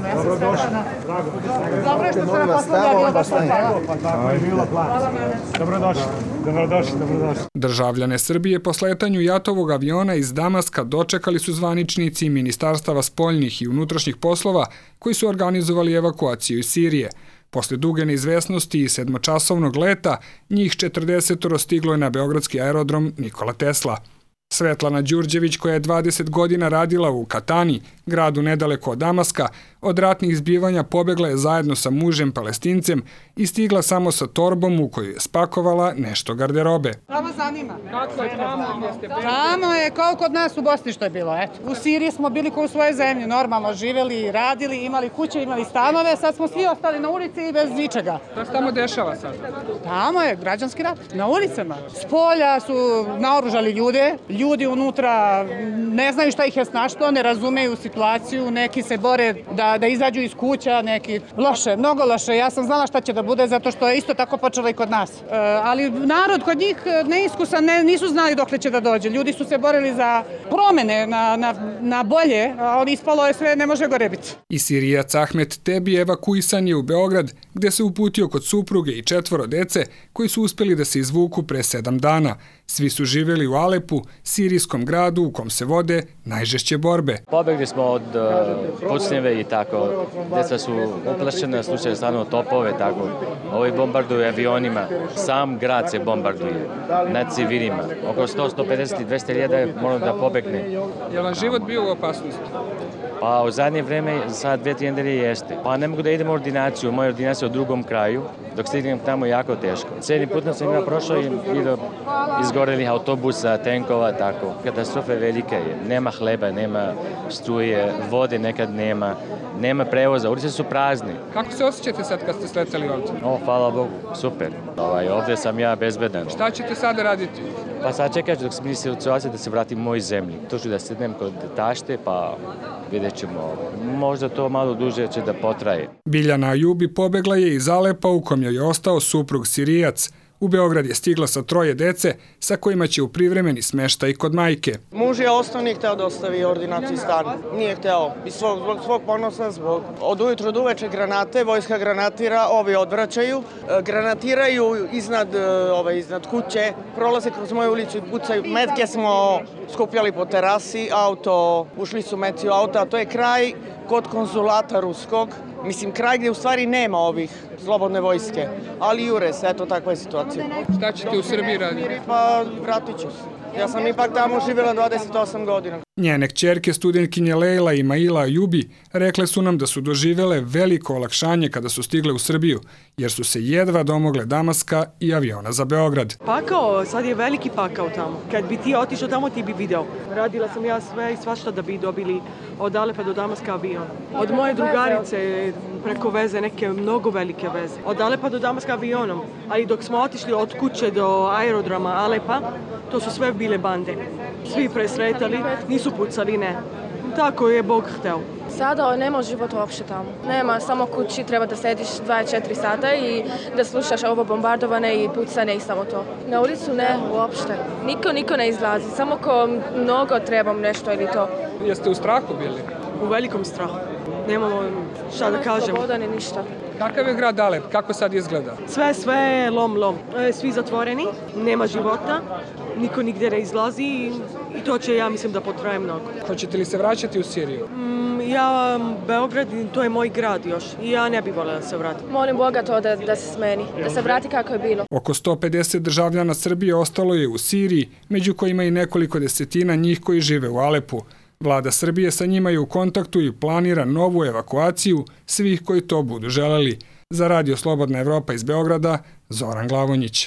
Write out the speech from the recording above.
Stefana. Ja sam Stefana. Dobro je što se na poslu došla. Hvala. Dobrodošli. Državljane Srbije po sletanju jatovog aviona iz Damaska dočekali su zvaničnici Ministarstava spoljnih i unutrašnjih poslova koji su organizovali evakuaciju iz Sirije. Posle duge neizvesnosti i 7-časovnog leta, njih 40 stiglo je na beogradski aerodrom Nikola Tesla. Svetlana Đurđević, koja je 20 godina radila u Katani, gradu nedaleko od Damaska, od ratnih zbivanja pobegla je zajedno sa mužem Palestincem i stigla samo sa torbom u kojoj je spakovala nešto garderobe. Tamo zanima. Kako je tamo? Tamo je kao kod nas u Bosni što je bilo. Eto. U Siriji smo bili kao u svojoj zemlji, normalno živeli, radili, imali kuće, imali stanove, sad smo svi ostali na ulici i bez ničega. Šta se tamo dešava sad? Tamo je građanski rat, na ulicama. S polja su naoružali ljude, ljudi unutra ne znaju šta ih je snašlo, ne razumeju situaciju, neki se bore da izađu iz kuća, neki loše, mnogo loše. Ja sam znala šta će da bude zato što je isto tako počelo i kod nas. Ali narod kod njih neiskusan, nisu znali dokle će da dođe. Ljudi su se borili za promene na bolje, a ispalo je sve, ne može gore biti. I Sirijac Ahmet Tebi evakuisan je u Beograd, gde se uputio kod supruge i 4 dece koji su uspeli da se izvuku pre 7 dana. Svi su živjeli u Alepu, sirijskom gradu u kom se vode najžešće borbe. Pobegli smo od pucnjeve i tako. Deca su uplašena, slušaju stvarno topove, tako. Ovi bombarduju avionima. Sam grad se bombarduje nad civilima. Oko 100-150 i 200 hiljada mora da pobegne. Je li vam život bio u opasnosti? Pa u zadnje vreme, sad 2-3 nedelje jeste. Pa ne mogu da idem u ordinaciju. Moja ordinacija je u drugom kraju. Dok stignem tamo jako teško. Cijeli put sam ima prošao i vidio izgorenih autobusa, tenkova, tako. Katastrofa velika je. Nema hleba, nema struje, vode nekad nema prevoza, ulice su prazne. Kako se osjećate sad kad ste sletali ovdje? Hvala Bogu, super. Ovdje sam ja bezbedan. Šta ćete sada raditi? Pa sad čekat ću dok sam situacija da se vratim u mojoj zemlji. To ću da sednem kod tašte, pa vidjet ćemo. Možda to malo duže će da potraje. Biljana Ajubi pobegla je iz Alepa u kom joj je ostao suprug Sirijac. U Beograd je stigla sa 3 dece sa kojima će u privremeni smeštaj kod majke. Muž je ostao, nije hteo da ostavi ordinaciju stan. Nije hteo. Zbog svog ponosa, od ujutru do uveče granate, vojska granatira, ovi odvraćaju. Granatiraju iznad kuće, prolaze kroz moju ulicu i pucaju. Metke smo skupljali po terasi, ušli su meci u auto, a to je kraj kod konzulata ruskog. Mislim, kraj gdje u stvari nema ovih slobodne vojske, ali jure se, eto takva je situacija. Šta ćete u Srbiji raditi? Pa vratit ću se. Ja sam ipak tamo živjela 28 godina. Njene kćerke, studentkinje Lejla i Maila Ajubi, rekle su nam da su doživele veliko olakšanje kada su stigle u Srbiju, jer su se jedva domogle Damaska i aviona za Beograd. Pakao, sad je veliki pakao tamo. Kad bi ti otišao tamo, ti bi video. Radila sam ja sve i svašta da bi dobili od Alepa do Damaska avion. Od moje drugarice preko veze, neke mnogo velike veze. Od Alepa do Damaska avionom. Ali dok smo otišli od kuće do aerodroma Alepa, to su sve bile bande. Svi presretali, nisu pucali, ne. Tako je Bog hteo. Sada nema života uopšte tamo. Nema, samo kući treba da sediš 24 sata i da slušaš ovo bombardovane i pucane i samo to. Na ulicu ne, uopšte. Niko ne izlazi, samo ko mnogo trebam nešto ili to. Jeste u strahu bili? U velikom strahu. Nemamo šta da kažemo. Nema sloboda ni ništa. Kakav je grad Alep? Kako sad izgleda? Sve lom. Svi zatvoreni, nema života, niko nigdje ne izlazi i to će, ja mislim, da potraje mnogo. Hoćete li se vraćati u Siriju? Ja, Beograd, to je moj grad još i ja ne bih voljela da se vratim. Molim Boga to da se smeni, da se vrati kako je bilo. Oko 150 državljana Srbije ostalo je u Siriji, među kojima i nekoliko desetina njih koji žive u Alepu. Vlada Srbije sa njima je u kontaktu i planira novu evakuaciju svih koji to budu želeli. Za Radio Slobodna Evropa iz Beograda, Zoran Glavonjić.